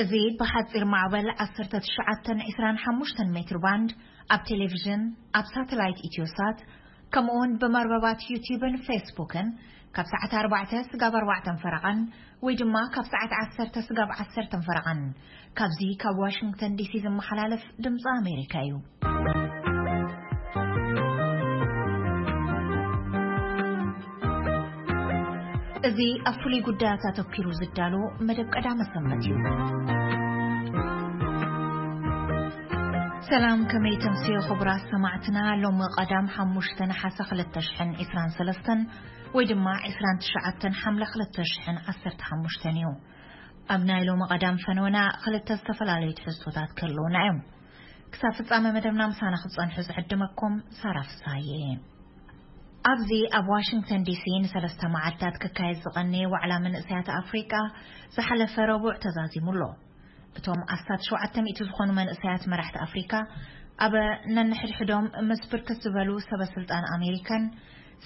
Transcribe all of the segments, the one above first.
እዚ ብሓጺር ማዕበል ዓሰርተ ትሽዓተ ዕስራን ሓሙሽተን ሜትር ባንድ ኣብ ቴሌቪዥን፣ ኣብ ሳተላይት ኢትዮሳት፣ ከምኡውን ብመርበባት ዩቲዩብን ፌስቡክን ካብ ሰዓት ኣርባዕተ ስጋብ ኣርባዕተን ፈረቓን ወይ ድማ ካብ ሰዓት ዓሰርተ ስጋብ ዓሰርተን ፈረቓን ካብዚ ካብ ዋሽንግተን ዲሲ ዝመሓላለፍ ድምፂ ኣሜሪካ እዩ። እዚ ኣብ ፍሉይ ጉዳያት ኣተኲሩ ዝዳሎ መደብ ቀዳመ ሰንበት እዩ። ሰላም፣ ከመይ ተምስዮ ክቡራት ሰማዕትና? ሎሚ ቀዳም ሓሙሽተ ነሓሰ ክልተ ሽሕን ዕስራን ሰለስተን ወይ ድማ ዕስራን ትሽዓተን ሓምለ ክልተ ሽሕን ዓሰርተ ሓሙሽተን እዩ። ኣብ ናይ ሎሚ ቀዳም ፈነወና ክልተ ዝተፈላለዩ ትሕዝቶታት ክህልውና እዮም። ክሳብ ፍጻመ መደብና ምሳና ክትጸንሑ ዝዕድመኩም ሳራ ፍስሃየ እየ። ኣብዚ ኣብ ዋሽንግተን ዲሲ ንሰለስተ መዓልታት ክካየድ ዝቐነየ ዋዕላ መንእሰያት ኣፍሪቃ ዝሓለፈ ረቡዕ ተዛዚሙ ኣሎ። እቶም ኣስታት ሸውዓተ ሚእቲ ዝኾኑ መንእሰያት መራሕቲ ኣፍሪካ ኣብ ነንሕድሕዶም ምስ ብርክት ዝበሉ ሰበ ስልጣን ኣሜሪካን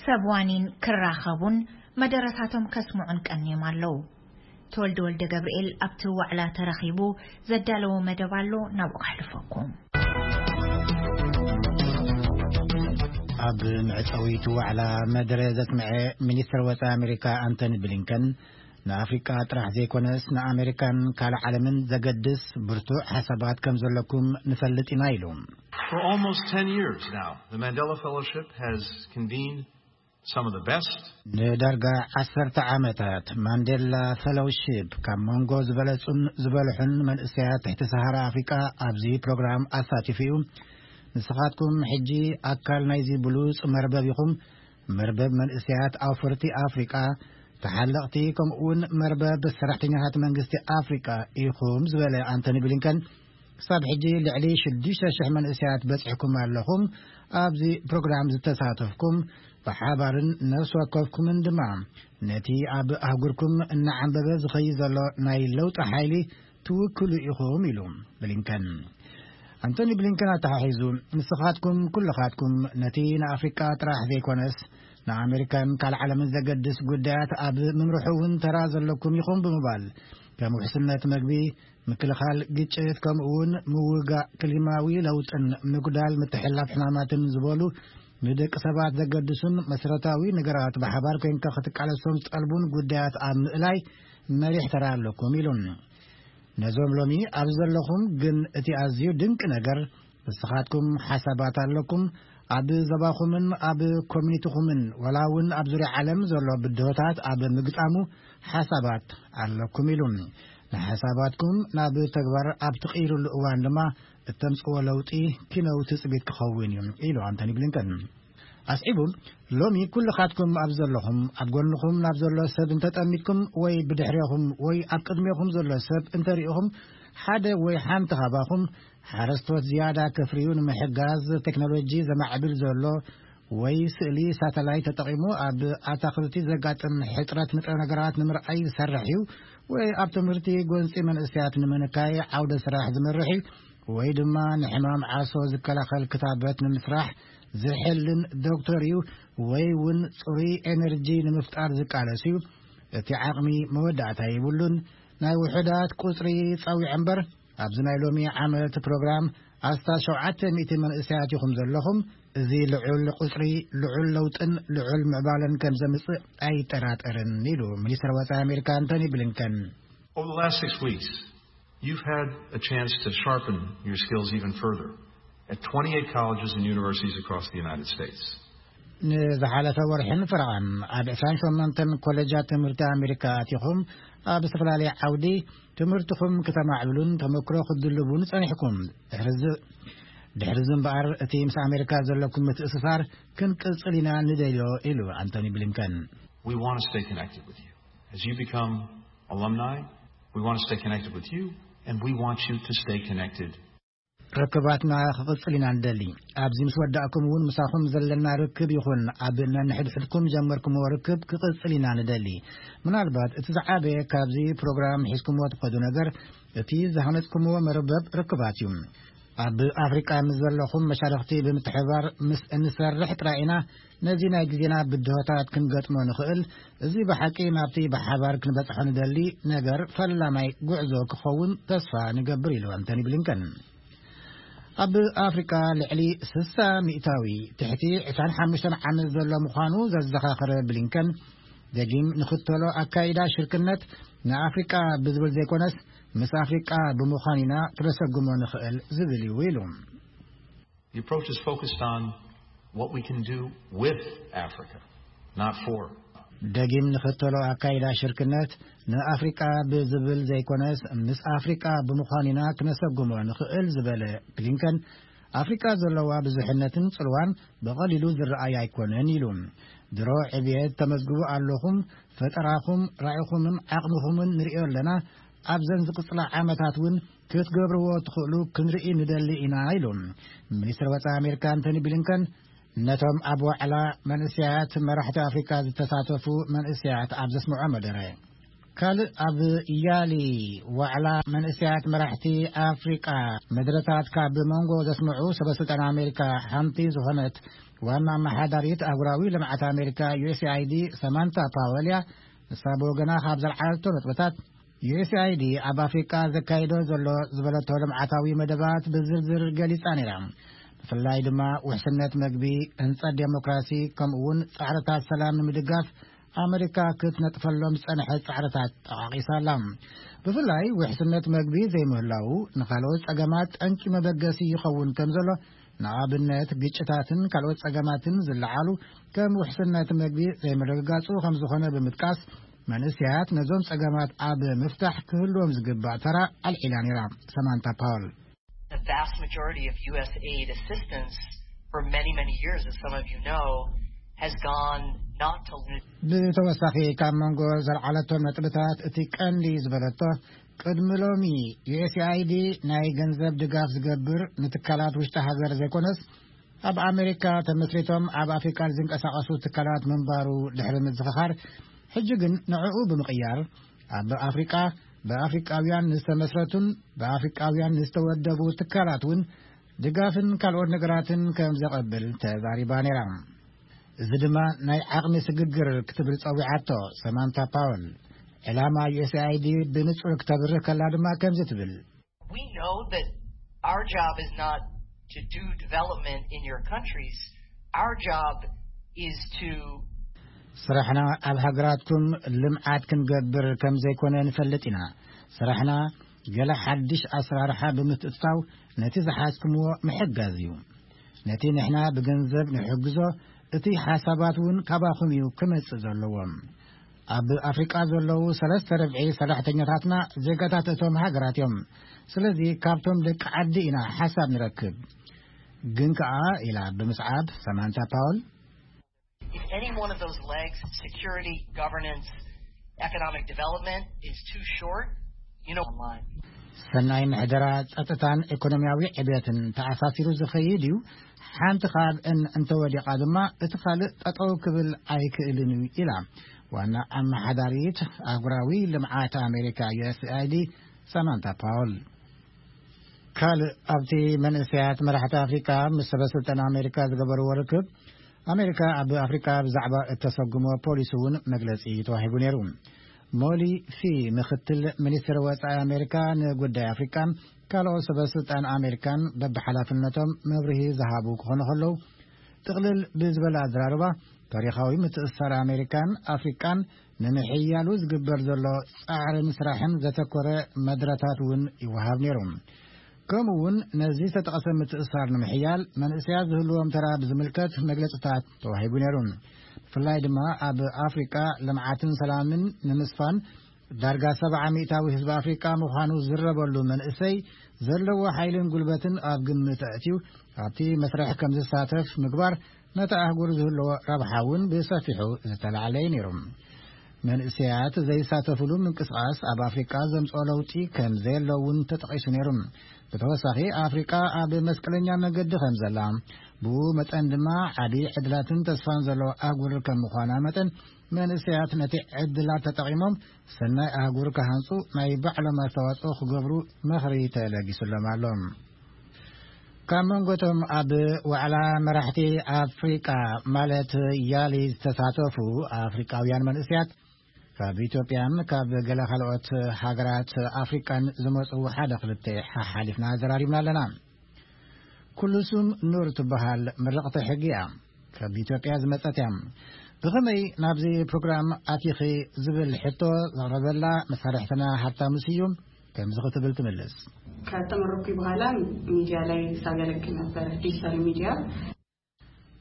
ሰብ ዋኒን ክራኸቡን መደረታቶም ከስምዑን ቀንዮም ኣለዉ። ተወልደ ወልደ ገብርኤል ኣብቲ ዋዕላ ተረኺቡ ዘዳለዎ መደብ ኣሎ፣ ናብኡ ከሕልፈኩም። ኣብ መዕጸዊቱ ዋዕላ መደረ ዘስምዐ ሚኒስትር ወጻኢ ኣሜሪካ ኣንቶኒ ብሊንከን፣ ንኣፍሪቃ ጥራሕ ዘይኮነስ ንኣሜሪካን ካልእ ዓለምን ዘገድስ ብርቱዕ ሓሳባት ከም ዘለኩም ንፈልጥ ኢና ኢሉ። For almost ten years now, the Mandela Fellowship has convened some of the best. ንዳርጋ ዓሰርተ ዓመታት ማንዴላ ፈሎውሺፕ ካብ መንጎ ዝበለጹን ዝበልሑን መንእሰያት ትሕቲ ሰሃራ ኣፍሪቃ ኣብዚ ፕሮግራም ኣሳቲፉ እዩ። ንስኻትኩም ሕጂ ኣካል ናይዚ ብሉጽ መርበብ ኢኹም። መርበብ መንእሰያት ኣውፈርቲ ኣፍሪቃ፣ ተሓለቕቲ፣ ከምኡውን መርበብ ሰራሕተኛታት መንግስቲ ኣፍሪቃ ኢኹም ዝበለ ኣንቶኒ ብሊንከን፣ ክሳብ ሕጂ ልዕሊ ሽዱሽተ ሽሕ መንእሰያት በጺሕኩም ኣለኹም። ኣብዚ ፕሮግራም ዝተሳተፍኩም ብሓባርን ነፍሲ ወከፍኩምን ድማ ነቲ ኣብ ኣህጉርኩም እናዓንበበ ዝኸይድ ዘሎ ናይ ለውጢ ሓይሊ ትውክሉ ኢኹም ኢሉ ብሊንከን። ኣንቶኒ ብሊንከን ኣተሓሒዙ፣ ንስኻትኩም ኩልኻትኩም ነቲ ንኣፍሪቃ ጥራሕ ዘይኮነስ ንኣሜሪካን ካልእ ዓለምን ዘገድስ ጉዳያት ኣብ ምምርሑ እውን ተራ ዘለኩም ኢኹም ብምባል፣ ከም ውሕስነት መግቢ፣ ምክልኻል ግጭት፣ ከምኡ እውን ምውጋእ ክሊማዊ ለውጥን ምጉዳል ምትሕልላፍ ሕማማትን ዝበሉ ንደቂ ሰባት ዘገድሱን መሰረታዊ ነገራት ብሓባር ኮይንካ ክትቃለሶም ዝጠልቡን ጉዳያት ኣብ ምእላይ መሪሕ ተራ ኣለኩም ኢሉ። ነዞም ሎሚ ኣብ ዘለኹም ግን እቲ ኣዝዩ ድንቂ ነገር ንስኻትኩም ሓሳባት ኣለኩም፣ ኣብ ዘባኹምን ኣብ ኮሚኒቲኹምን ወላ እውን ኣብ ዙርያ ዓለም ዘሎ ብድሆታት ኣብ ምግጣሙ ሓሳባት ኣለኩም ኢሉ። ንሓሳባትኩም ናብ ተግባር ኣብ ትቕይሩሉ እዋን ድማ እተምጽዎ ለውጢ ኪነው ትጽቢት ክኸውን እዩ ኢሉ ኣንቶኒ ብሊንከን። ኣስዒቡ፣ ሎሚ ኩልኻትኩም ኣብ ዘለኹም፣ ኣብ ጎንኹም ናብ ዘሎ ሰብ እንተጠሚትኩም ወይ ብድሕሬኹም ወይ ኣብ ቅድሜኹም ዘሎ ሰብ እንተሪእኹም ሓደ ወይ ሓንቲ ካባኹም ሓረስቶት ዝያዳ ከፍርዩ ንምሕጋዝ ቴክኖሎጂ ዘማዕብል ዘሎ ወይ ስእሊ ሳተላይት ተጠቒሙ ኣብ ኣታኽልቲ ዘጋጥም ሕጽረት ንጥረ ነገራት ንምርኣይ ዝሰርሕ እዩ ወይ ኣብ ትምህርቲ ጎንጺ መንእሰያት ንምንካይ ዓውደ ስራሕ ዝመርሕ እዩ ወይ ድማ ንሕማም ዓሶ ዝከላኸል ክታበት ንምስራሕ ዝሕልን ዶክተር እዩ ወይ እውን ጽሩይ ኤነርጂ ንምፍጣር ዝቃለስ እዩ። እቲ ዓቕሚ መወዳእታ የብሉን። ናይ ውሑዳት ቁጽሪ ጸዊዐ እምበር ኣብዚ ናይ ሎሚ ዓመት ፕሮግራም ኣስታት ሸውዓተ ሚእቲ መንእሰያት ኢኹም ዘለኹም። እዚ ልዑል ቁጽሪ ልዑል ለውጥን ልዑል ምዕባለን ከም ዘምጽእ ኣይጠራጠርን ኢሉ ሚኒስትር ወጻኢ ኣሜሪካ ኣንቶኒ ብሊንከን። Over the last six weeks, you've had a chance to sharpen your skills even further at twenty-eight colleges and universities across the United States. ንዝሓለፈ ወርሕን ፈረቓን ኣብ ዕስራን ሸሞንተን ኮሌጃት ትምህርቲ ኣሜሪካ ኣቲኹም ኣብ ዝተፈላለየ ዓውዲ ትምህርትኹም ክተማዕብሉን ተመክሮ ክትድልቡን ጸኒሕኩም። ድሕሪ እዚ ድሕሪ እዚ እምበኣር እቲ ምስ ኣሜሪካ ዘለኩም ምትእስሳር ክንቅጽል ኢና ንደልዮ ኢሉ ኣንቶኒ ብሊንከን። We want to stay connected with you. As you become alumni, we want to stay connected with you, and we want you to stay connected. ርክባትና ክቕጽል ኢና ንደሊ። ኣብዚ ምስ ወዳእኩም እውን ምሳኹም ዘለና ርክብ ይኹን ኣብ ነንሕድሕድኩም ጀመርኩምዎ ርክብ ክቕጽል ኢና ንደሊ። ምናልባት እቲ ዝዓበየ ካብዚ ፕሮግራም ሒዝኩምዎ ትኸዱ ነገር እቲ ዝሃነጽኩምዎ መርበብ ርክባት እዩ። ኣብ ኣፍሪቃ ምስ ዘለኹም መሻርኽቲ ብምትሕባር ምስ እንሰርሕ ጥራይ ኢና ነዚ ናይ ግዜና ብድሆታት ክንገጥሞ ንኽእል። እዚ ብሓቂ ናብቲ ብሓባር ክንበጽሖ ንደሊ ነገር ፈላማይ ጉዕዞ ክኸውን ተስፋ ንገብር፣ ኢሉ ኣንቶኒ ብሊንከን። ኣብ ኣፍሪቃ ልዕሊ ስሳ ሚእታዊ ትሕቲ ዕስራን ሓሙሽተን ዓመት ዘሎ ምዃኑ ዘዘኻኸረ ብሊንከን፣ ደጊም ንኽተሎ ኣካይዳ ሽርክነት ንኣፍሪቃ ብዝብል ዘይኮነስ፣ ምስ ኣፍሪቃ ብምዃን ኢና ክነሰጉሞ ንኽእል ዝብል እዩ፣ ኢሉ። The approach is focused on what we can do with Africa, not for. ደጊም ንኽተሎ ኣካይዳ ሽርክነት ንኣፍሪቃ ብዝብል ዘይኮነስ፣ ምስ ኣፍሪቃ ብምዃን ኢና ክነሰጉሞ ንኽእል ዝበለ ብሊንከን፣ ኣፍሪቃ ዘለዋ ብዙሕነትን ጽልዋን ብቐሊሉ ዝረኣይ ኣይኮነን፣ ኢሉ። ድሮ ዕብየት ተመዝግቡ ኣለኹም፣ ፈጠራኹም፣ ራኢኹምን ዓቕምኹምን ንርእዮ ኣለና። ኣብዘን ዝቕጽላ ዓመታት እውን ክትገብርዎ ትኽእሉ ክንርኢ ንደሊ ኢና፣ ኢሉ። ሚኒስትር ወጻኢ ኣሜሪካ ኣንቶኒ ብሊንከን ነቶም ኣብ ዋዕላ መንእሰያት መራሕቲ ኣፍሪካ ዝተሳተፉ መንእሰያት ኣብ ዘስምዖ መደረ። ካልእ ኣብ ያሊ ዋዕላ መንእሰያት መራሕቲ ኣፍሪቃ መድረታት ካብ መንጎ ዘስምዑ ሰበስልጣን ኣሜሪካ ሓንቲ ዝኾነት ዋና ኣመሓዳሪት ኣህጉራዊ ልምዓት ኣሜሪካ፣ ዩ ኤስ ኣይ ዲ፣ ሰማንታ ፓወል እያ። ንሳ ብወገና ካብ ዘልዓለቶ ነጥብታት፣ ዩ ኤስ ኣይ ዲ ኣብ ኣፍሪቃ ዘካይዶ ዘሎ ዝበለቶ ልምዓታዊ መደባት ብዝርዝር ገሊጻ ነይራ። ብፍላይ ድማ ውሕስነት መግቢ፣ ህንጸት ዴሞክራሲ፣ ከምኡ እውን ጻዕርታት ሰላም ንምድጋፍ ኣመሪካ ክትነጥፈሎም ዝጸንሐት ጻዕርታት ጠቓቒሳ ኣላ። ብፍላይ ውሕስነት መግቢ ዘይምህላዉ ንኻልኦት ጸገማት ጠንቂ መበገሲ ይኸውን ከም ዘሎ፣ ንኣብነት ግጭታትን ካልኦት ጸገማትን ዝለዓሉ ከም ውሕስነት መግቢ ዘይምርግጋጹ ከም ዝኾነ ብምጥቃስ፣ መንእሰያት ነዞም ጸገማት ኣብ ምፍታሕ ክህልዎም ዝግባእ ተራ ኣልዒላ ነይራ። ሰማንታ ፓወል። The vast majority of U S aid assistance for many, many years, as some of you know, has gone not to ብተወሳኺ ካብ መንጎ ዘልዓለቶም ነጥብታት እቲ ቀንዲ ዝበለቶ፣ ቅድሚ ሎሚ ዩ ኤስ ኣይ ዲ ናይ ገንዘብ ድጋፍ ዝገብር ንትካላት ውሽጢ ሃገር ዘይኮነስ፣ ኣብ ኣሜሪካ ተመስሪቶም ኣብ ኣፍሪቃ ዝንቀሳቐሱ ትካላት ምንባሩ ድሕሪ ምዝኽኻር፣ ሕጂ ግን ንዕኡ ብምቕያር፣ ኣብ ኣፍሪቃ ብኣፍሪቃውያን ንዝተመስረቱን ብኣፍሪቃውያን ንዝተወደቡ ትካላት እውን ድጋፍን ካልኦት ነገራትን ከም ዘቐብል ተዛሪባ ነይራ። እዚ ድማ ናይ ዓቕሚ ስግግር ክትብል ጸዊዓቶ ሰማንታ ፓወል። ዕላማ ዩ ኤስ ኣይ ዲ ብንጹር ክተብርህ ከላ ድማ ከምዚ ትብል። We know that our job is not to do development in your countries. Our job is to ስራሕና ኣብ ሃገራትኩም ልምዓት ክንገብር ከም ዘይኮነ ንፈልጥ ኢና። ስራሕና ገለ ሓድሽ ኣሰራርሓ ብምትእትታው ነቲ ዝሓዝኩምዎ ምሕጋዝ እዩ። ነቲ ንሕና ብገንዘብ ንሕግዞ፣ እቲ ሓሳባት እውን ካባኹም እዩ ክመጽእ ዘለዎም። ኣብ ኣፍሪቃ ዘለዉ ሰለስተ ርብዒ ሰራሕተኛታትና ዜጋታት እቶም ሃገራት እዮም። ስለዚ ካብቶም ደቂ ዓዲ ኢና ሓሳብ ንረክብ። ግን ከኣ፣ ኢላ ብምስዓብ ሰማንታ ፓውል፣ If any one of those legs, security, governance, economic development, is too short, you know, online. ሰናይ ምሕደራ፣ ጸጥታን ኢኮኖሚያዊ ዕብየትን ተኣሳሲሩ ዝኸይድ እዩ። ሓንቲ ካብአን እንተወዲቓ ድማ እቲ ካልእ ጠጠው ክብል ኣይክእልን እዩ፣ ኢላ ዋና ኣመሓዳሪት ኣህጉራዊ ልምዓት ኣሜሪካ፣ ዩ ኤስ ኣይ ዲ፣ ሰማንታ ፓውል። ካልእ ኣብቲ መንእሰያት መራሕቲ ኣፍሪካ ምስ ሰበ ስልጣን ኣሜሪካ ዝገበርዎ ርክብ፣ ኣሜሪካ ኣብ ኣፍሪካ ብዛዕባ እተሰጉሞ ፖሊሲ እውን መግለጺ ተዋሂቡ ነይሩ። ሞሊ ፊ፣ ምክትል ሚኒስትር ወጻኢ ኣሜሪካ ንጉዳይ ኣፍሪቃን ካልኦት ሰበ ስልጣን ኣሜሪካን በብሓላፍነቶም መብርሂ ዝሃቡ ክኾኑ ከለዉ፣ ጥቕልል ብዝበለ ኣዘራርባ፣ ታሪኻዊ ምትእስሳር ኣሜሪካን ኣፍሪቃን ንምሕያሉ ዝግበር ዘሎ ጻዕርን ስራሕን ዘተኮረ መድረታት እውን ይወሃብ ነይሩ። ከምኡ እውን ነዚ ዝተጠቐሰ ምትእስሳር ንምሕያል መንእሰያት ዝህልዎም ተራ ብዝምልከት መግለጽታት ተዋሂቡ ነይሩ። ብፍላይ ድማ ኣብ ኣፍሪቃ ልምዓትን ሰላምን ንምስፋን ዳርጋ ሰብዓ ሚእታዊ ህዝቢ ኣፍሪቃ ምዃኑ ዝረበሉ መንእሰይ ዘለዎ ሓይልን ጉልበትን ኣብ ግምት ኣእትዩ ኣብቲ መስርሕ ከም ዝሳተፍ ምግባር ነታ ኣህጉር ዝህልዎ ረብሓ እውን ብሰፊሑ ዝተላዕለ እዩ ነይሩ። መንእሰያት ዘይሳተፍሉ ምንቅስቓስ ኣብ ኣፍሪቃ ዘምጽኦ ለውጢ ከም ዘየሎ እውን ተጠቒሱ ነይሩ። ብተወሳኺ ኣፍሪቃ ኣብ መስቀለኛ መገዲ ከም ዘላ፣ ብኡ መጠን ድማ ዓቢ ዕድላትን ተስፋን ዘለዎ ኣህጉር ከም ምዃና መጠን፣ መንእሰያት ነቲ ዕድላት ተጠቒሞም ሰናይ ኣህጉር ክሃንጹ ናይ ባዕሎም ኣስተዋጽኦ ክገብሩ ምኽሪ ተለጊሱሎም ኣሎ። ካብ መንጎቶም ኣብ ዋዕላ መራሕቲ ኣፍሪቃ ማለት ያሊ ዝተሳተፉ ኣፍሪቃውያን መንእስያት ካብ ኢትዮጵያን ካብ ገለ ካልኦት ሃገራት ኣፍሪቃን ዝመጹ ሓደ ክልተ ሓሓሊፍና ዘራሪብና ኣለና። ኩልሱም ኑር ትበሃል ምርቕቲ ሕጊ እያ። ካብ ኢትዮጵያ ዝመጸት እያ። ብኸመይ ናብዚ ፕሮግራም ኣቲኺ ዝብል ሕቶ ዘቕረበላ መሳርሕትና ሃብታሙ ስዩም ከምዚ ክትብል ትምልስ። ከተመረኩ በኋላ ሚዲያ ላይ ሳገለግል ነበር፣ ዲጂታል ሚዲያ።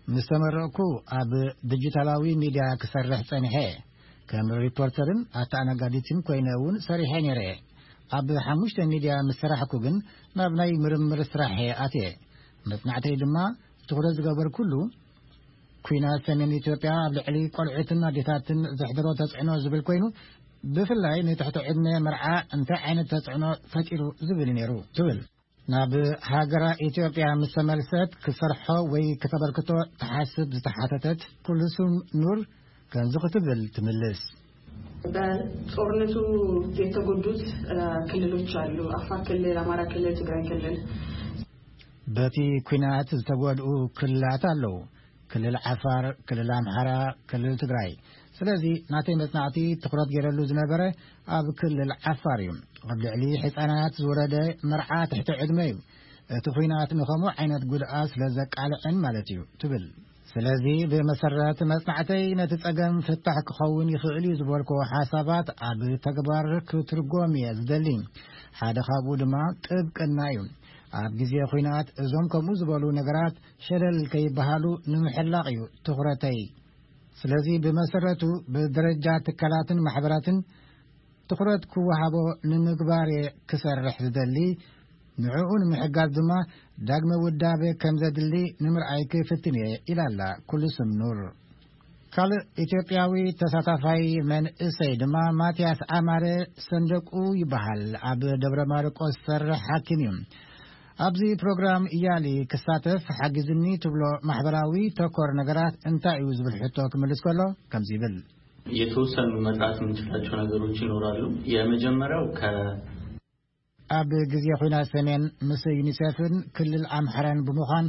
ምስ ተመረቕኩ ኣብ ዲጂታላዊ ሚዲያ ክሰርሕ ጸኒሐ። ከም ሪፖርተርን ኣተኣናጋዲትን ኮይነ እውን ሰሪሐ ነይረ። ኣብ ሓሙሽተ ሚዲያ ምስ ሰራሕኩ ግን ናብ ናይ ምርምር ስራሕ ኣትየ። መጽናዕተይ ድማ ትኹረት ዝገበርኩሉ ኩናት ሰሜን ኢትዮጵያ ኣብ ልዕሊ ቆልዑትን ኣዴታትን ዘሕደሮ ተጽዕኖ ዝብል ኮይኑ፣ ብፍላይ ንትሕቲ ዕድመ መርዓ እንታይ ዓይነት ተጽዕኖ ፈጢሩ ዝብል ነይሩ ትብል። ናብ ሃገራ ኢትዮጵያ ምስ ተመልሰት ክሰርሖ ወይ ከተበርክቶ ትሓስብ ዝተሓተተት ኩልሱም ኑር ከምዚ ክትብል ትምልስ። በጦርነቱ የተጎዱት ክልሎች አሉ። አፋር ክልል፣ አማራ ክልል፣ ትግራይ ክልል። በቲ ኩናት ዝተጎድኡ ክልላት ኣለዉ። ክልል ዓፋር፣ ክልል ኣምሓራ፣ ክልል ትግራይ። ስለዚ ናተይ መጽናዕቲ ትኹረት ገይረሉ ዝነበረ ኣብ ክልል ዓፋር እዩ። ኣብ ልዕሊ ሕፃናት ዝወረደ መርዓ ትሕቲ ዕድመ እዩ። እቲ ኩናት ንኸምኡ ዓይነት ጉድኣት ስለ ዘቃልዕን ማለት እዩ ትብል። ስለዚ ብመሰረት መጽናዕተይ ነቲ ጸገም ፍታሕ ክኸውን ይኽእል እዩ ዝበልኮ ሓሳባት ኣብ ተግባር ክትርጎም እየ ዝደሊ። ሓደ ካብኡ ድማ ጥብቅና እዩ። ኣብ ግዜ ኩናት እዞም ከምኡ ዝበሉ ነገራት ሸለል ከይበሃሉ ንምሕላቕ እዩ ትኹረተይ። ስለዚ ብመሰረቱ ብደረጃ ትካላትን ማሕበራትን ትኹረት ክወሃቦ ንምግባር እየ ክሰርሕ ዝደሊ። ንዕኡ ንምሕጋዝ ድማ ዳግመ ውዳበ ከም ዘድሊ ንምርኣይ ክፍትን እየ ኢላላ ኩልስም ኑር። ካልእ ኢትዮጵያዊ ተሳታፋይ መንእሰይ ድማ ማትያስ ኣማረ ሰንደቁ ይበሃል። ኣብ ደብረ ማርቆስ ዝሰርሕ ሓኪም እዩ። ኣብዚ ፕሮግራም እያሊ ክሳተፍ ሓጊዝኒ ትብሎ ማሕበራዊ ተኮር ነገራት እንታይ እዩ ዝብል ሕቶ ክምልስ ከሎ ከምዚ ይብል። የተወሰኑ መስራት የምንችላቸው ነገሮች ይኖራሉ። የመጀመሪያው ከ ኣብ ግዜ ኹናት ሰሜን ምስ ዩኒሴፍን ክልል ኣምሓራን ብምዃን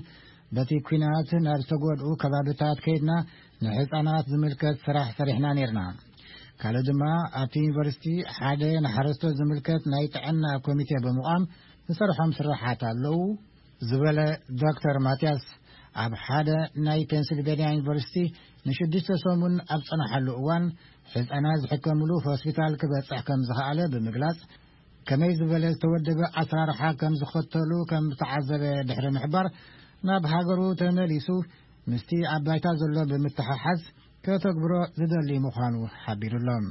በቲ ኲናት ናብ ዝተጎድኡ ከባብታት ከይድና ንሕፃናት ዝምልከት ስራሕ ሰሪሕና ነይርና። ካልእ ድማ ኣብቲ ዩኒቨርሲቲ ሓደ ንሓረስቶት ዝምልከት ናይ ጥዕና ኮሚቴ ብምቋም ዝሰርሖም ስራሓት ኣለዉ ዝበለ ዶክተር ማትያስ፣ ኣብ ሓደ ናይ ፔንስልቬንያ ዩኒቨርሲቲ ንሽዱሽተ ሰሙን ኣብ ጸናሓሉ እዋን ሕፃናት ዝሕከምሉ ሆስፒታል ክበጽሕ ከም ዝኸኣለ ብምግላጽ፣ ከመይ ዝበለ ዝተወደበ ኣሰራርሓ ከም ዝኸተሉ ከም ዝተዓዘበ ድሕሪ ምሕባር፣ ናብ ሃገሩ ተመሊሱ ምስቲ ኣብ ባይታ ዘሎ ብምትሓሓዝ ከተግብሮ ዝደሊ ምዃኑ ሓቢሩሎም።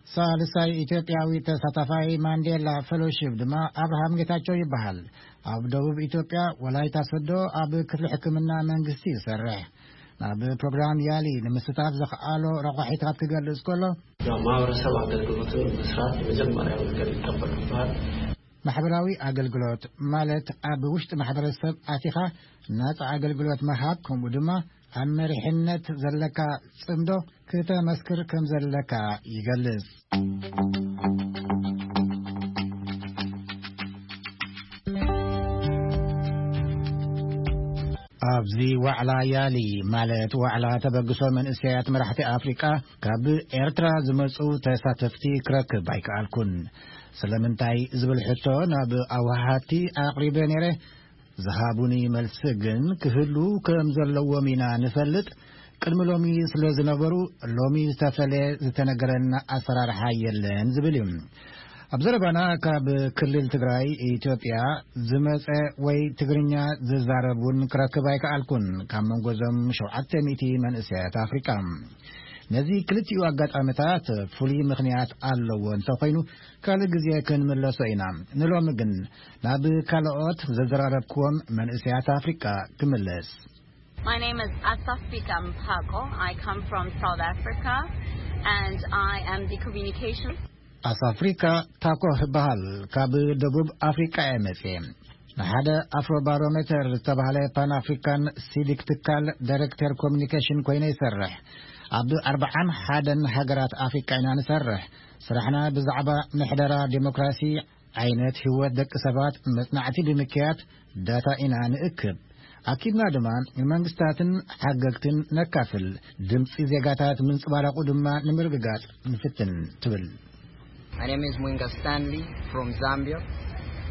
ሳልሳይ ኢትዮጵያዊ ተሳታፋይ ማንዴላ ፌሎሺፕ ድማ ኣብርሃም ጌታቸው ይበሃል። ኣብ ደቡብ ኢትዮጵያ ወላይታ ሶዶ ኣብ ክፍሊ ሕክምና መንግስቲ ይሰርሕ። ናብ ፕሮግራም ያሊ ንምስታፍ ዘኽኣሎ ረቋሒታት ክገልጽ ከሎ፣ ያው ማህበረሰብ አገልግሎትን መስራት የመጀመሪያው ነገር ይጠበቅብሃል። ማሕበራዊ ኣገልግሎት ማለት ኣብ ውሽጢ ማሕበረሰብ ኣቲኻ ናጻ ኣገልግሎት ምሃብ፣ ከምኡ ድማ ኣብ መሪሕነት ዘለካ ጽምዶ ክተመስክር ከም ዘለካ ይገልጽ። ኣብዚ ዋዕላ ያሊ ማለት ዋዕላ ተበግሶ መንእሰያት መራሕቲ ኣፍሪቃ ካብ ኤርትራ ዝመጹ ተሳተፍቲ ክረክብ ኣይከኣልኩን። ስለምንታይ ዝብል ሕቶ ናብ ኣወሃሃድቲ ኣቕሪበ ነይረ። ዝሃቡኒ መልሲ ግን ክህሉ ከም ዘለዎም ኢና ንፈልጥ። ቅድሚ ሎሚ ስለ ዝነበሩ ሎሚ ዝተፈለየ ዝተነገረና ኣሰራርሓ የለን ዝብል እዩ። ኣብ ዘረባና ካብ ክልል ትግራይ ኢትዮጵያ ዝመጸ ወይ ትግርኛ ዝዛረብ እውን ክረክብ ኣይከኣልኩን። ካብ መንጎ እዞም ሸውዓተ ሚእቲ መንእሰያት ኣፍሪቃ ነዚ ክልቲኡ ኣጋጣሚታት ፍሉይ ምኽንያት ኣለዎ እንተኾይኑ ካልእ ግዜ ክንምለሶ ኢና። ንሎሚ ግን ናብ ካልኦት ዘዘራረብክዎም መንእሰያት ኣፍሪቃ ክምለስ። My name is Asafika Mpako. I come from South Africa and I am the communication. ኣሳፍሪካ ታኮ እበሃል። ካብ ደቡብ ኣፍሪቃ እየ መጽየ። ንሓደ ኣፍሮ ባሮሜተር ዝተባህለ ፓን ኣፍሪካን ሲቪክ ትካል ዳይሬክተር ኮሚኒኬሽን ኮይነ ይሰርሕ። ኣብ ኣርብዓን ሓደን ሃገራት ኣፍሪቃ ኢና ንሰርሕ። ስራሕና ብዛዕባ ምሕደራ ዴሞክራሲ፣ ዓይነት ህይወት ደቂ ሰባት መጽናዕቲ ብምክያድ ዳታ ኢና ንእክብ። ኣኪብና ድማ ንመንግስታትን ሓገግትን ነካፍል። ድምፂ ዜጋታት ምንፅባረቑ ድማ ንምርግጋፅ ንፍትን ትብል። My name is Mwinga Stanley from Zambia.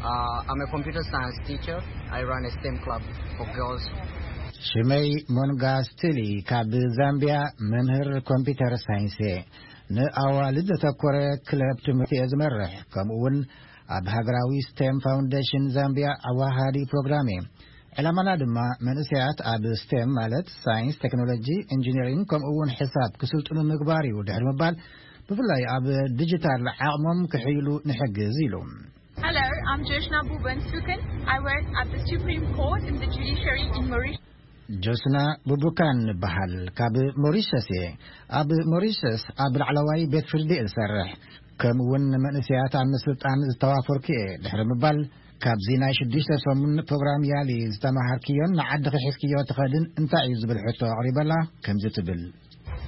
Uh, I'm a computer science teacher. I run a STEM club for girls. ሽመይ ሞንጋ ስትሊ ካብ ዛምቢያ፣ መምህር ኮምፒውተር ሳይንስ እየ። ንኣዋልድ ዘተኮረ ክለብ ትምህርቲ እየ ዝመርሕ። ከምኡ እውን ኣብ ሃገራዊ ስቴም ፋውንዴሽን ዛምቢያ ኣዋሃዲ ፕሮግራም እየ። ዕላማና ድማ መንእሰያት ኣብ ስቴም ማለት ሳይንስ፣ ቴክኖሎጂ፣ ኢንጂነሪንግ ከምኡ እውን ሕሳብ ክስልጥኑ ምግባር እዩ። ድሕሪ ምባል ብፍላይ ኣብ ዲጂታል ዓቕሞም ክሕይሉ ንሕግዝ ኢሉ። Hello, I'm Joshna Buban Sukan. I work at the Supreme Court in the judiciary in Mauritius. ጆስና ቡቡካን እበሃል። ካብ ሞሪሸስ እየ። ኣብ ሞሪሸስ ኣብ ላዕለዋይ ቤት ፍርዲ እሰርሕ። ከምኡ እውን መንእሰያት ኣብ ምስልጣን ዝተዋፈርኩ እየ። ድሕሪ ምባል ካብዚ ናይ ሽዱሽተ ሰሙን ፕሮግራም ያሊ ዝተማሃርክዮን ንዓድኺ ሒዝክዮ ትኸድን እንታይ እዩ ዝብል ሕቶ ኣቕሪበላ ከምዚ ትብል።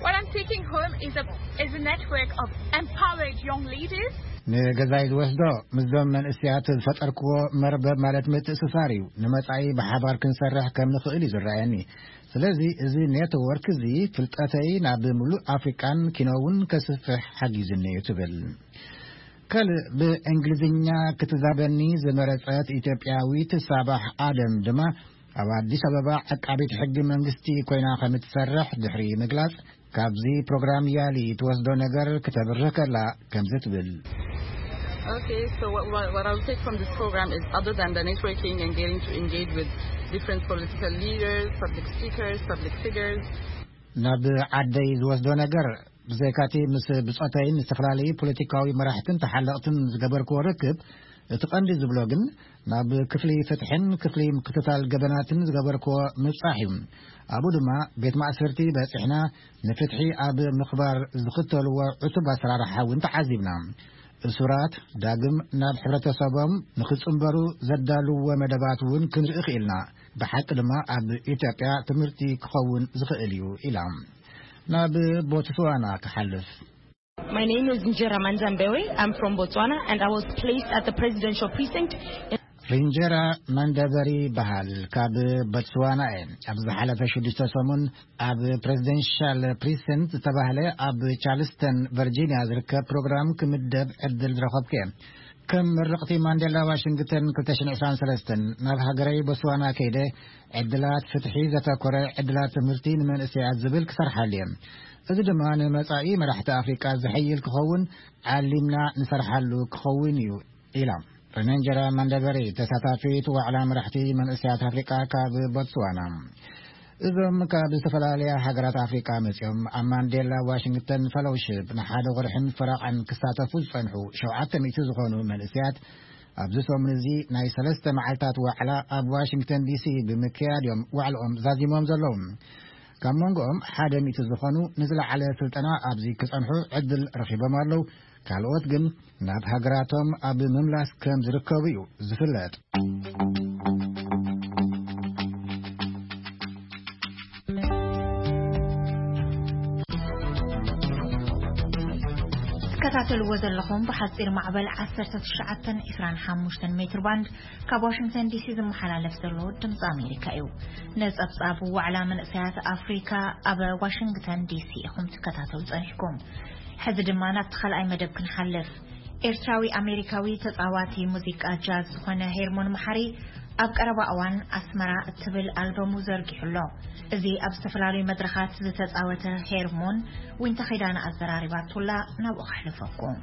What I'm taking home is a is a network of empowered young leaders. ንገዛይ ዝወስዶ ምስዞም መንእሰያት ዝፈጠርክዎ መርበብ ማለት ምትእስሳር እዩ። ንመጻኢ ብሓባር ክንሰርሕ ከም ንኽእል እዩ ዝረኣየኒ። ስለዚ እዚ ኔትወርክ እዚ ፍልጠተይ ናብ ምሉእ ኣፍሪቃን ኪኖ እውን ከስፍሕ ሓጊዝኒ እዩ ትብል። ካልእ ብእንግሊዝኛ ክትዛበኒ ዝመረጸት ኢትዮጵያዊት ሳባሕ ኣደም ድማ ኣብ ኣዲስ ኣበባ ዓቃቢት ሕጊ መንግስቲ ኮይና ከም እትሰርሕ ድሕሪ ምግላጽ፣ ካብዚ ፕሮግራም ያሊ ትወስዶ ነገር ክተብርህ ከላ ከምዚ ትብል። Okay, so what, what, what I'll take from this program is, other than the networking and getting to engage with different political leaders, public speakers, public figures, ናብ ዓደይ ዝወስዶ ነገር ብዘይካቲ ምስ ብጾተይን ዝተፈላለዩ ፖለቲካዊ መራሕትን ተሓለቕትን ዝገበርክዎ ርክብ፣ እቲ ቀንዲ ዝብሎ ግን ናብ ክፍሊ ፍትሕን ክፍሊ ምክትታል ገበናትን ዝገበርክዎ ምብጻሕ እዩ። ኣብኡ ድማ ቤት ማእሰርቲ በጺሕና ንፍትሒ ኣብ ምኽባር ዝኽተልዎ ዕቱብ ኣሰራርሓ እውን ተዓዚብና። እሱራት ዳግም ናብ ሕብረተሰቦም ንኽጽንበሩ ዘዳልዎ መደባት እውን ክንርኢ ክኢልና። ብሓቂ ድማ ኣብ ኢትዮጵያ ትምህርቲ ክኸውን ዝኽእል እዩ ኢላ። ናብ ቦትስዋና ክሓልፍ። My name is Njera Manzambewe. I'm from Botswana and I was placed at the presidential precinct. ሪንጀራ ማንደበሪ በሃል ካብ ቦትስዋና እየ። ኣብ ዝሓለፈ ሽዱሽተ ሰሙን ኣብ ፕሬዚደንሻል ፕሪሰንት ዝተባህለ ኣብ ቻርልስተን ቨርጂኒያ ዝርከብ ፕሮግራም ክምደብ ዕድል ዝረኸብኩ እየ። ከም ምርቕቲ ማንዴላ ዋሽንግተን ክልተ ሽሕን ዕስራን ሰለስተን ናብ ሃገረይ ቦትስዋና ከይደ ዕድላት ፍትሒ ዘተኮረ ዕድላት ትምህርቲ ንመንእሰያት ዝብል ክሰርሓሉ እየ። እዚ ድማ ንመጻኢ መራሕቲ ኣፍሪቃ ዝሕይል ክኸውን ዓሊምና ንሰርሓሉ ክኸውን እዩ ኢላ። ሬንጀራ ማንደበሪ ተሳታፊት ዋዕላ መራሕቲ መንእሰያት ኣፍሪቃ ካብ ቦትስዋና። እዞም ካብ ዝተፈላለያ ሃገራት ኣፍሪቃ መጺኦም ኣብ ማንዴላ ዋሽንግተን ፈሎውሽፕ ንሓደ ወርሕን ፈረቓን ክሳተፉ ዝጸንሑ ሸውዓተ ሚእቲ ዝኾኑ መንእሰያት ኣብዚ ሰሙን እዚ ናይ ሰለስተ መዓልታት ዋዕላ ኣብ ዋሽንግተን ዲሲ ብምክያድ እዮም ዋዕልኦም ዛዚሞም ዘለዉ። ካብ መንጎኦም ሓደ ሚእቲ ዝኾኑ ንዝለዓለ ስልጠና ኣብዚ ክጸንሑ ዕድል ረኺቦም ኣለዉ። ካልኦት ግን ናብ ሃገራቶም ኣብ ምምላስ ከም ዝርከቡ እዩ ዝፍለጥ። ትከታተልዎ ዘለኹም ብሓፂር ማዕበል ዓሰርተ ትሽዓተን ዕስራን ሓሙሽተን ሜትር ባንድ ካብ ዋሽንግተን ዲሲ ዝመሓላለፍ ዘሎ ድምፂ ኣሜሪካ እዩ። ነፀብፃብ ዋዕላ መንእሰያት ኣፍሪካ ኣብ ዋሽንግተን ዲሲ ኢኹም ትከታተሉ ፀኒሕኩም። ሕዚ ድማ ናብቲ ካልኣይ መደብ ክንሓልፍ። ኤርትራዊ ኣሜሪካዊ ተጻዋቲ ሙዚቃ ጃዝ ዝኾነ ሄርሞን መሓሪ ኣብ ቀረባ እዋን ኣስመራ እትብል ኣልበሙ ዘርጊሑ ኣሎ። እዚ ኣብ ዝተፈላለዩ መድረኻት ዝተጻወተ ሄርሞን ዊንታ ኺዳነ ኣዘራሪባቱላ ናብኡ ከሕልፈኩም።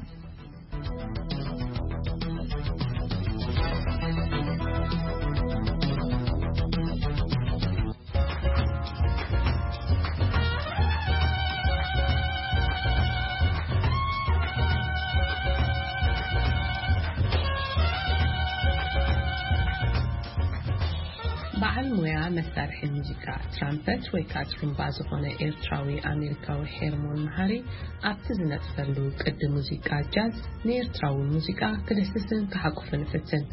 በዓል ሞያ መሳርሒ ሙዚቃ ትራምፐት ወይ ከዓ ጥሩምባ ዝኾነ ኤርትራዊ ኣሜሪካዊ ሄርሞን መሃሪ ኣብቲ ዝነጥፈሉ ቅዲ ሙዚቃ ጃዝ ንኤርትራዊ ሙዚቃ ክድህስስን ክሓቁፍን ይፍትን።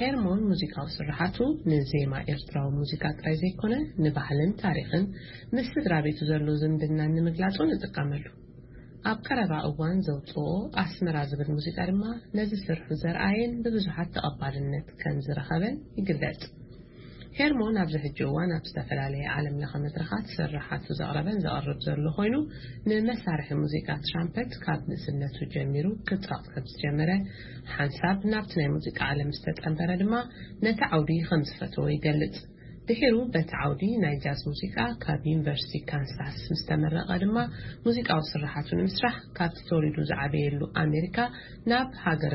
ሄርሞን ሙዚቃዊ ስርሓቱ ንዜማ ኤርትራዊ ሙዚቃ ጥራይ ዘይኮነ ንባህልን ታሪኽን ምስ ስድራ ቤቱ ዘሎ ዝምድናን ንምግላጹ ንጥቀመሉ። ኣብ ቀረባ እዋን ዘውፅኦ ኣስመራ ዝብል ሙዚቃ ድማ ነዚ ስርሑ ዘርኣየን ብብዙሓት ተቐባልነት ከም ዝረኸበን ይግለጽ። ሄርሞን ኣብዚ ሕጂ እዋን ኣብ ዝተፈላለየ ዓለም ለኸ መድረኻት ስርሓቱ ዘቕረበን ዘቕርብ ዘሎ ኮይኑ፣ ንመሳርሒ ሙዚቃ ትራምፐት ካብ ንእስነቱ ጀሚሩ ክጻወት ከም ዝጀመረ፣ ሓንሳብ ናብቲ ናይ ሙዚቃ ዓለም ዝተጸንበረ ድማ ነቲ ዓውዲ ከም ዝፈተዎ ይገልጽ። ድሒሩ በቲ ዓውዲ ናይ ጃዝ ሙዚቃ ካብ ዩኒቨርሲቲ ካንሳስ ምስ ተመረቐ ድማ፣ ሙዚቃዊ ስርሓቱ ንምስራሕ ካብቲ ተወሊዱ ዝዓበየሉ ኣሜሪካ ናብ ሃገረ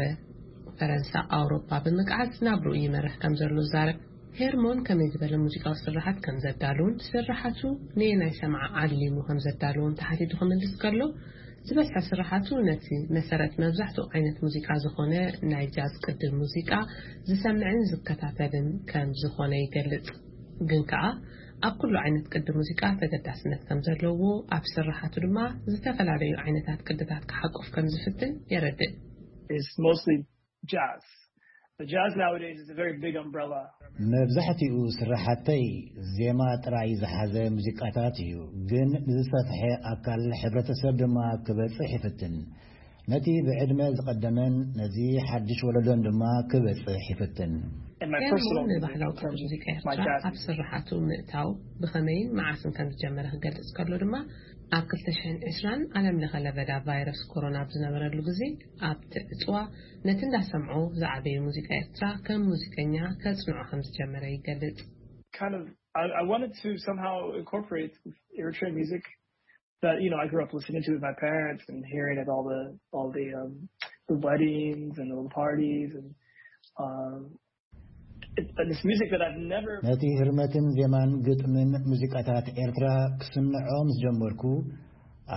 ፈረንሳ ኣውሮፓ ብምግዓዝ ናብርኡ ይመርሕ ከም ዘሎ ይዛረብ። ሄርሞን ከመይ ዝበለ ሙዚቃዊ ስርሓት ከም ዘዳልውን፣ ስርሓቱ ነየናይ ሰምዓ ዓሊሙ ከም ዘዳልውን ተሓቲቱ ክምልስ ከሎ፣ ዝበዝሐ ስርሓቱ ነቲ መሰረት መብዛሕትኡ ዓይነት ሙዚቃ ዝኾነ ናይ ጃዝ ቅዲ ሙዚቃ ዝሰምዕን ዝከታተልን ከም ዝኾነ ይገልጽ። ግን ከኣ ኣብ ኩሉ ዓይነት ቅዲ ሙዚቃ ተገዳስነት ከም ዘለዎ፣ ኣብ ስርሓቱ ድማ ዝተፈላለዩ ዓይነታት ቅድታት ክሓቁፍ ከም ዝፍትን የረድእ። It's mostly jazz. The jazz nowadays is a very big umbrella. መብዛሕትኡ ስርሓተይ ዜማ ጥራይ ዝሓዘ ሙዚቃታት እዩ፣ ግን ንዝሰፍሐ ኣካል ሕብረተሰብ ድማ ክበጽሕ ይፍትን። ነቲ ብዕድመ ዝቐደመን ነዚ ሓድሽ ወለዶን ድማ ክበጽሕ ይፍትን። In my ሄርሞን personal music, ንባህላዊ in ቅዲ terms ሙዚቃ of my ኤርትራ jazz ኣብ music. ስርሓቱ ምእታው ብኸመይን መዓስን ከም ዝጀመረ ክገልጽ ከሎ ድማ፣ ኣብ ክልተ ሽሕን ዕስራን ዓለም ለኸ ለበዳ ቫይረስ ኮሮና ኣብ ዝነበረሉ ግዜ፣ ኣብቲ ዕጽዋ ነቲ እንዳሰምዖ ዝዓበየ ሙዚቃ ኤርትራ ከም ሙዚቀኛ ከጽንዖ ከም ዝጀመረ ይገልጽ። Kind of, I, I wanted to somehow incorporate Eritrean music that, you know, I grew up listening to with my parents and hearing at all the all the um, the weddings and all the parties and um, it, and this music that I've never ነቲ ህርመትን ዜማን ግጥምን ሙዚቃታት ኤርትራ ክስምዖ ምስ ጀመርኩ፣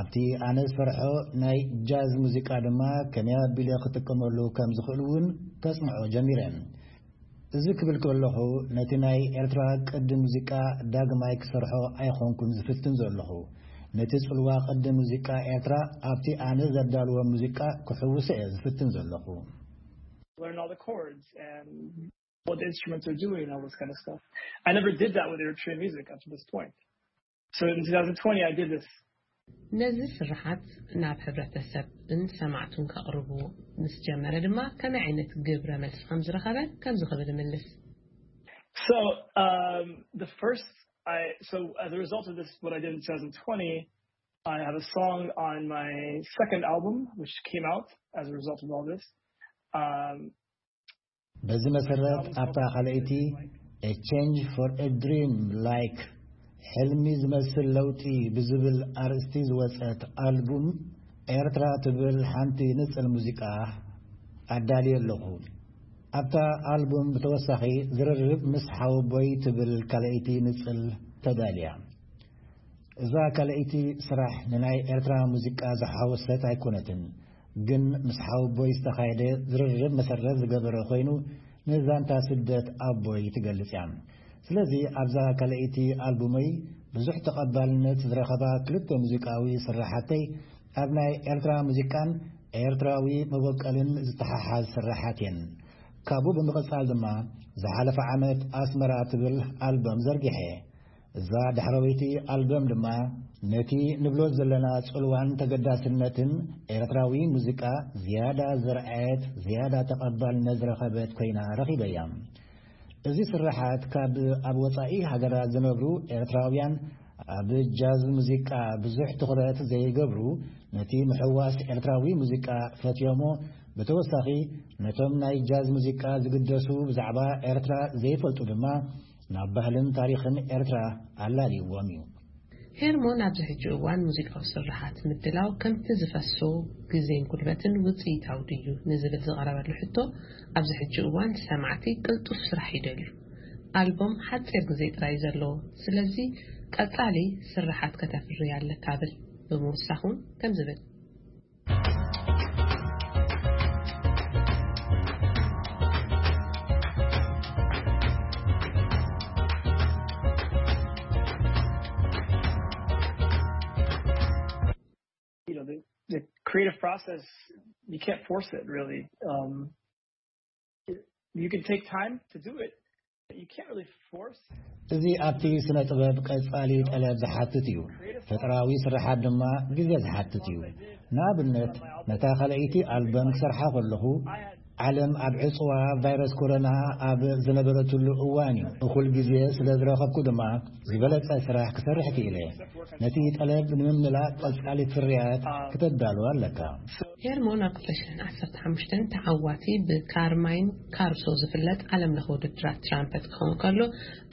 ኣብቲ ኣነ ዝፈርሖ ናይ ጃዝ ሙዚቃ ድማ ከመይ ኣቢለ ክጥቀመሉ ከም ዝኽእል እውን ከጽንዖ ጀሚረ። እዚ ክብል ከለኹ፣ ነቲ ናይ ኤርትራ ቅዲ ሙዚቃ ዳግማይ ክሰርሖ ኣይኾንኩን ዝፍትን ዘለኹ። ነቲ ጽልዋ ቅዲ ሙዚቃ ኤርትራ ኣብቲ ኣነ ዘዳልዎ ሙዚቃ ክሕውሶ እየ ዝፍትን ዘለኹ። Learn all the chords and what the instruments are doing, all this kind of stuff. I never did that with Eritrean music up to this point. So in twenty twenty, I did this. ነዚ ስርሓት ናብ ሕብረተሰብን ሰማዕቱን ከቕርቡ ምስ ጀመረ ድማ፣ ከመይ ዓይነት ግብረ መልሲ ከም ዝረኸበ ከምዚ ክብል ይምልስ። So um, the first, I so as a result of this, what I did in twenty twenty, I have a song on my second album, which came out as a result of all this. Um, በዚ መሰረት ኣብታ ካልኣይቲ A Change for a Dream Like ሕልሚ ዝመስል ለውጢ ብዝብል ኣርእስቲ ዝወጸት ኣልቡም ኤርትራ ትብል ሓንቲ ንጽል ሙዚቃ ኣዳልየ ኣለኹ። ኣብታ ኣልቡም ብተወሳኺ ዝርርብ ምስ ሓወቦይ ትብል ካልኣይቲ ንጽል ተዳልያ። እዛ ካልኣይቲ ስራሕ ንናይ ኤርትራ ሙዚቃ ዝሓወሰት ኣይኮነትን፣ ግን ምስ ሓወቦይ ዝተኻየደ ዝርርብ መሰረት ዝገበረ ኮይኑ፣ ንዛንታ ስደት ኣቦይ ትገልጽ እያ። ስለዚ ኣብዛ ካልኣይቲ ኣልቡመይ ብዙሕ ተቐባልነት ዝረኸባ ክልተ ሙዚቃዊ ስርሓተይ ኣብ ናይ ኤርትራ ሙዚቃን ኤርትራዊ መበቆልን ዝተሓሓዝ ስርሓት እየን። ካብኡ ብምቕጻል ድማ ዝሓለፈ ዓመት ኣስመራ ትብል ኣልበም ዘርጊሐ። እዛ ዳሕረወይቲ ኣልበም ድማ ነቲ ንብሎ ዘለና ጽልዋን ተገዳስነትን ኤርትራዊ ሙዚቃ ዝያዳ ዘርኣየት፣ ዝያዳ ተቐባልነት ዝረኸበት ኮይና ረኺበያ። እዚ ስርሓት ካብ ኣብ ወጻኢ ሃገራት ዝነብሩ ኤርትራውያን ኣብ ጃዝ ሙዚቃ ብዙሕ ትኹረት ዘይገብሩ፣ ነቲ ምሕዋስ ኤርትራዊ ሙዚቃ ፈትዮሞ፣ ብተወሳኺ ነቶም ናይ ጃዝ ሙዚቃ ዝግደሱ ብዛዕባ ኤርትራ ዘይፈልጡ ድማ ናብ ባህልን ታሪኽን ኤርትራ ኣላልይዎም እዩ። ሄርሞን ኣብዚ ሕጂ እዋን ሙዚቃዊ ስርሓት ምድላው ከምቲ ዝፈሶ ግዜን ጉልበትን ውጽኢታዊ ድዩ ንዝብል ዝቐረበሉ ሕቶ፣ ኣብዚ ሕጂ እዋን ሰማዕቲ ቅልጡፍ ስራሕ ይደልዩ። ኣልቦም ሓጺር ግዜ ጥራይ እዩ ዘለዎ። ስለዚ ቀጻሊ ስርሓት ከተፍሪ ኣለካ ብል ብምውሳኽ እውን ከም ዝብል። You know, the, the creative process, you can't force it really. Um, you can take time to do it, but you እዚ ኣብቲ ስነ ጥበብ ቀጻሊ ጠለብ ዝሓትት እዩ። ፈጠራዊ ስርሓት ድማ ግዜ ዝሓትት እዩ። ንኣብነት፣ ነታ ካልኣይቲ ኣልበም ክሰርሓ ከለኹ፣ ዓለም ኣብ ዕጽዋ ቫይረስ ኮሮና ኣብ ዝነበረትሉ እዋን እዩ። እኹል ግዜ ስለ ዝረኸብኩ ድማ፣ ዝበለጸ ስራሕ ክሰርሕ ክኢለ። ነቲ ጠለብ ንምምላእ ቀጻሊ ፍርያት ክተዳሉ ኣለካ። ሄርሞን ኣብ ክልተ ሽሕን ዓሰርተ ሓሙሽተን ተዓዋቲ ብካርማይን ካሩሶ ዝፍለጥ ዓለም ለኸ ውድድራት ትራምፐት ክኸውን ከሎ፣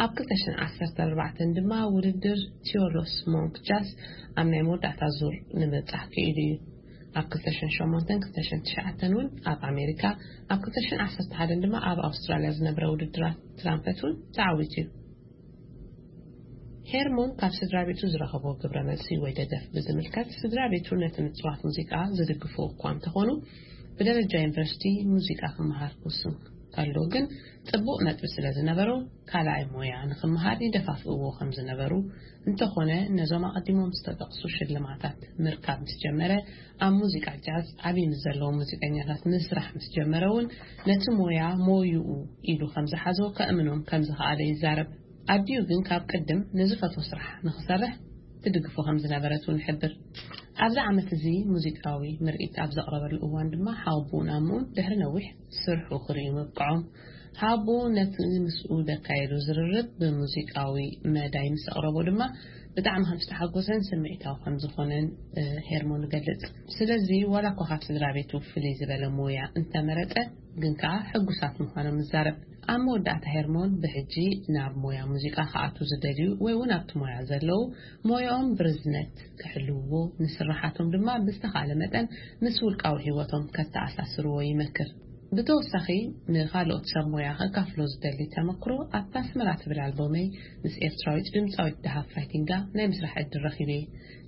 ኣብ ክልተ ሽሕን ዓሰርተ ኣርባዕተን ድማ ውድድር ቲዮሎስ ሞንክ ጃስ ኣብ ናይ መወዳእታ ዙር ንምብጻሕ ክኢሉ እዩ። ኣብ ክልተ ሽሕን ሸሞንተን፣ ክልተ ሽሕን ትሽዓተን እውን ኣብ ኣሜሪካ፣ ኣብ ክልተ ሽሕን ዓሰርተ ሓደን ድማ ኣብ ኣውስትራልያ ዝነብረ ውድድራት ትራምፐት እውን ተዓዊቱ እዩ። ሄርሞን ካብ ስድራ ቤቱ ዝረኸቦ ግብረ መልሲ ወይ ደገፍ ብዝምልከት፣ ስድራ ቤቱ ነቲ ምጽዋት ሙዚቃ ዝድግፉ እኳ እንተኾኑ፣ ብደረጃ ዩኒቨርሲቲ ሙዚቃ ክመሃር ክውስን ከሎ ግን፣ ጽቡቕ ነጥቢ ስለ ዝነበሮ፣ ካልኣይ ሞያ ንኽመሃር ይደፋፍእዎ ከም ዝነበሩ፣ እንተኾነ፣ ነዞም ኣቐዲሞም ዝተጠቕሱ ሽልማታት ምርካብ ምስ ጀመረ፣ ኣብ ሙዚቃ ጃዝ ዓቢ ምስ ዘለዉ ሙዚቀኛታት ምስራሕ ምስ ጀመረ እውን፣ ነቲ ሞያ ሞይኡ ኢሉ ከም ዝሓዞ ከእምኖም ከም ዝኸኣለ ይዛረብ። ኣዲኡ ግን ካብ ቅድም ንዝፈትዎ ስራሕ ንኽሰርሕ ትድግፎ ከም ዝነበረት እውን ይሕብር። ኣብዚ ዓመት እዚ ሙዚቃዊ ምርኢት ኣብ ዘቕረበሉ እዋን ድማ፣ ሓወቦኡን ኣምኡን ድሕሪ ነዊሕ ስርሑ ክርእዩ ምብቅዖም፣ ሓወቦኡ ነቲ ምስኡ ዘካየዱ ዝርርብ ብሙዚቃዊ መዳይ ምስ ኣቕረቦ ድማ፣ ብጣዕሚ ከም ዝተሓጎሰን ስምዒታዊ ከም ዝኾነን፣ እ፣ ሄርሞን ይገልጽ። ስለዚ፣ ዋላ እኳ ካብ ስድራ ቤቱ ፍልይ ዝበለ ሞያ እንተመረጸ፣ ግን ከኣ ሕጉሳት ምዃኖም ይዛረብ። ኣብ መወዳእታ፣ ሄርሞን ብሕጂ ናብ ሞያ ሙዚቃ ክኣትዉ ዝደልዩ ወይ እውን ኣብቲ ሞያ ዘለዉ፣ ሞያኦም ብርዝነት ክሕልውዎ፣ ንስራሓቶም ድማ ብዝተኻእለ መጠን ምስ ውልቃዊ ህይወቶም ከተኣሳስርዎ ይመክር። ብተወሳኺ፣ ንኻልኦት ሰብ ሞያ ከካፍሎ ዝደሊ ተመክሮ፣ ኣብታ ኣስመራ ትብል ኣልቦመይ ምስ ኤርትራዊት ድምጻዊት ደሃብ ፋይቲንጋ ናይ ምስራሕ ዕድል ረኺበ።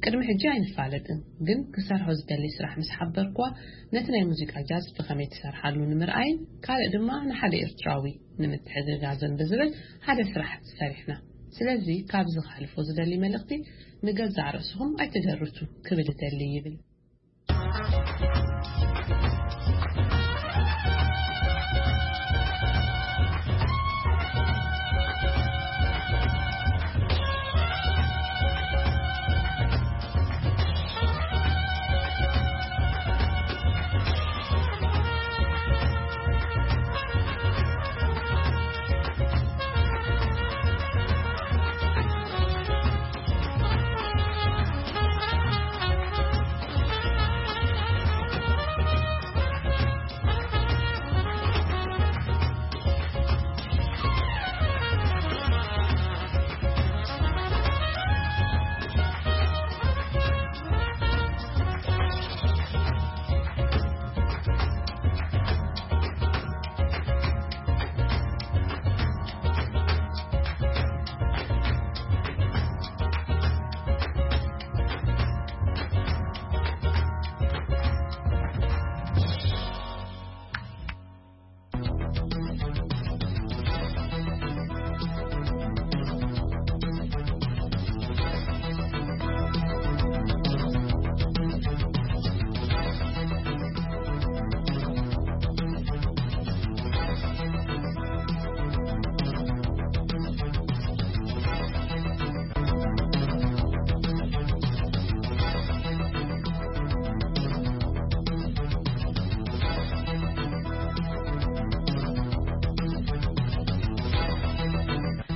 ቅድሚ ሕጂ ኣይንፋለጥን፣ ግን ክሰርሖ ዝደሊ ስራሕ ምስ ሓበርክዋ፣ ነቲ ናይ ሙዚቃ ጃዝ ብኸመይ ትሰርሓሉ ንምርኣይን፣ ካልእ ድማ ንሓደ ኤርትራዊ ንምትሕግጋዝን ብዝብል ሓደ ስራሕ ሰሪሕና። ስለዚ፣ ካብዚ ከሕልፎ ዝደሊ መልእኽቲ፣ ንገዛእ ርእስኹም ኣይትደርቱ ክብል እደሊ ይብል።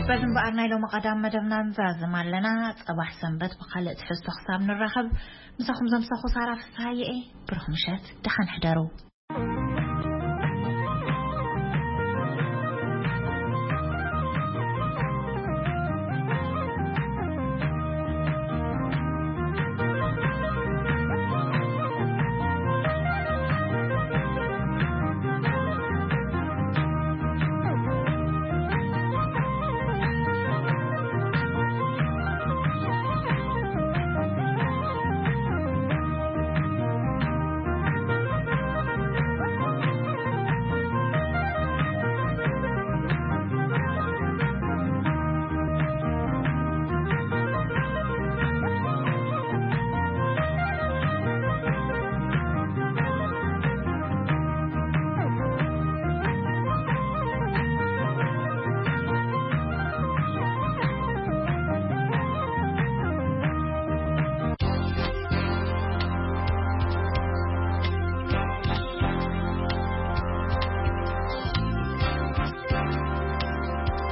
በዚ እምበኣር ናይ ሎሚ ቀዳም መደብና ንዛዝም ኣለና። ጸባሕ ሰንበት ብኻልእ ትሕዝቶ ክሳብ ንራኸብ፣ ምሳኹም ዘምሳኹ ሳራ ፍስሃየ እየ። ብሩኽ ምሸት፣ ደሓን ሕደሩ።